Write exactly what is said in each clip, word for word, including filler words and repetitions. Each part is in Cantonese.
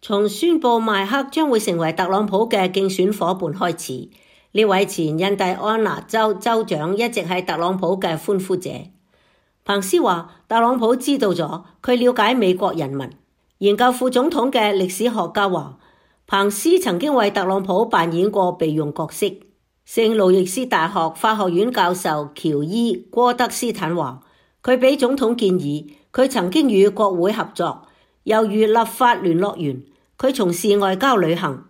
從宣布邁克將會成為特朗普嘅競選夥伴開始，呢位前印第安納州州長一直係特朗普嘅歡呼者。彭斯話特朗普知道咗，佢了解美國人民。研究副總統嘅歷史學家話，彭斯曾經為特朗普扮演過備用角色。聖路易斯大學法學院教授喬伊·戈德斯坦話，佢俾總統建議，佢曾經與國會合作，猶如立法聯絡員，佢從事外交旅行。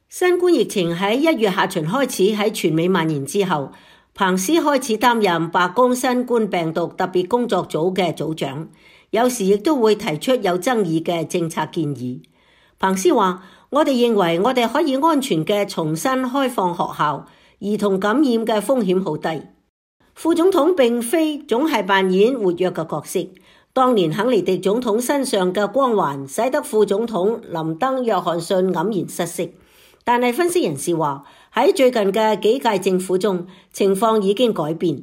新冠疫情喺一月下旬開始喺全美蔓延之後，彭斯開始擔任白宮新冠病毒特別工作組嘅組長，有時亦都會提出有爭議嘅政策建議。彭斯話，我哋認為我哋可以安全嘅重新開放學校，兒童感染嘅風險好低。副總統並非總係扮演活躍嘅角色。當年肯尼迪總統身上嘅光環使得副總統林登約翰遜黯然失色。但係分析人士話，喺最近嘅幾屆政府中，情況已經改變。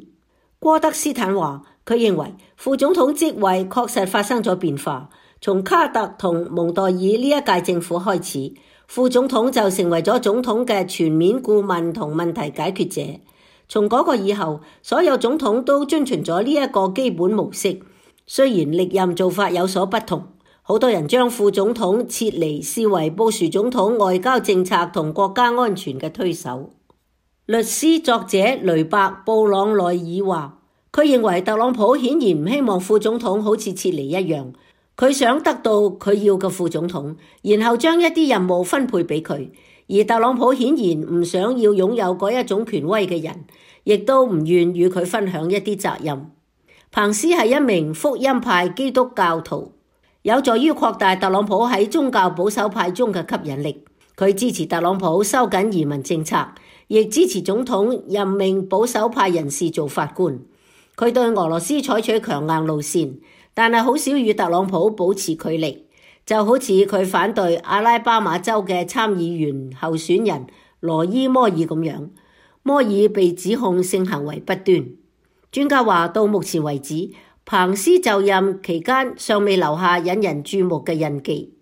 戈德斯坦話，佢認為副總統職位確實發生咗變化。從卡特同蒙代爾呢一屆政府開始，副總統就成為咗總統嘅全面顧問同問題解決者。從嗰個以後，所有總統都遵循咗呢一個基本模式。雖然歷任做法有所不同，好多人將副總統撤離視為布殊總統外交政策同國家安全嘅推手。律師作者雷伯·布朗內爾話，佢認為特朗普顯然唔希望副總統好似撤離一樣，佢想得到佢要嘅副總統，然後將一啲任務分配俾佢。而特朗普顯然唔想要擁有嗰一種權威嘅人，亦都唔願與佢分享一啲責任。彭斯係一名福音派基督教徒，有助於擴大特朗普喺宗教保守派中嘅吸引力。佢支持特朗普收緊移民政策，亦支持總統任命保守派人士做法官。佢對俄羅斯採取強硬路線，但係好少與特朗普保持距離，就好似佢反對阿拉巴馬州嘅參議員候選人羅伊摩爾咁樣。摩爾被指控性行為不端。專家話，到目前為止，彭斯就任期間尚未留下引人注目嘅印記。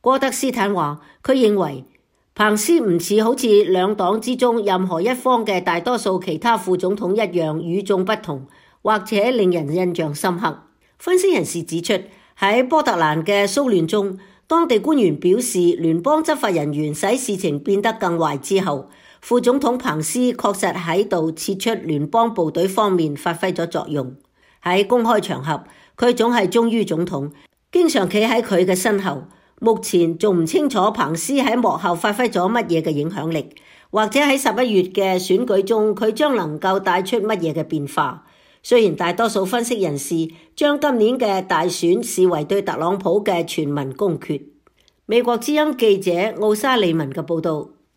戈德斯坦話，佢認為彭斯唔似好似兩黨之中任何一方嘅大多數其他副總統一樣與眾不同，或者令人印象深刻。分析人士指出，喺波特蘭嘅騷亂中，當地官員表示聯邦執法人員使事情變得更壞之後，副總統彭斯確實喺度撤出聯邦部隊方面發揮咗作用。喺公開場合，佢總係忠於總統，經常企喺佢嘅身後。目前仲唔清楚彭斯喺幕後發揮咗乜嘢嘅影響力，或者喺十一月嘅選舉中，佢將能夠帶出乜嘢嘅變化。雖然大多數分析人士將今年嘅大選視為對特朗普嘅全民公決。美國之音記者奧沙利文嘅報道。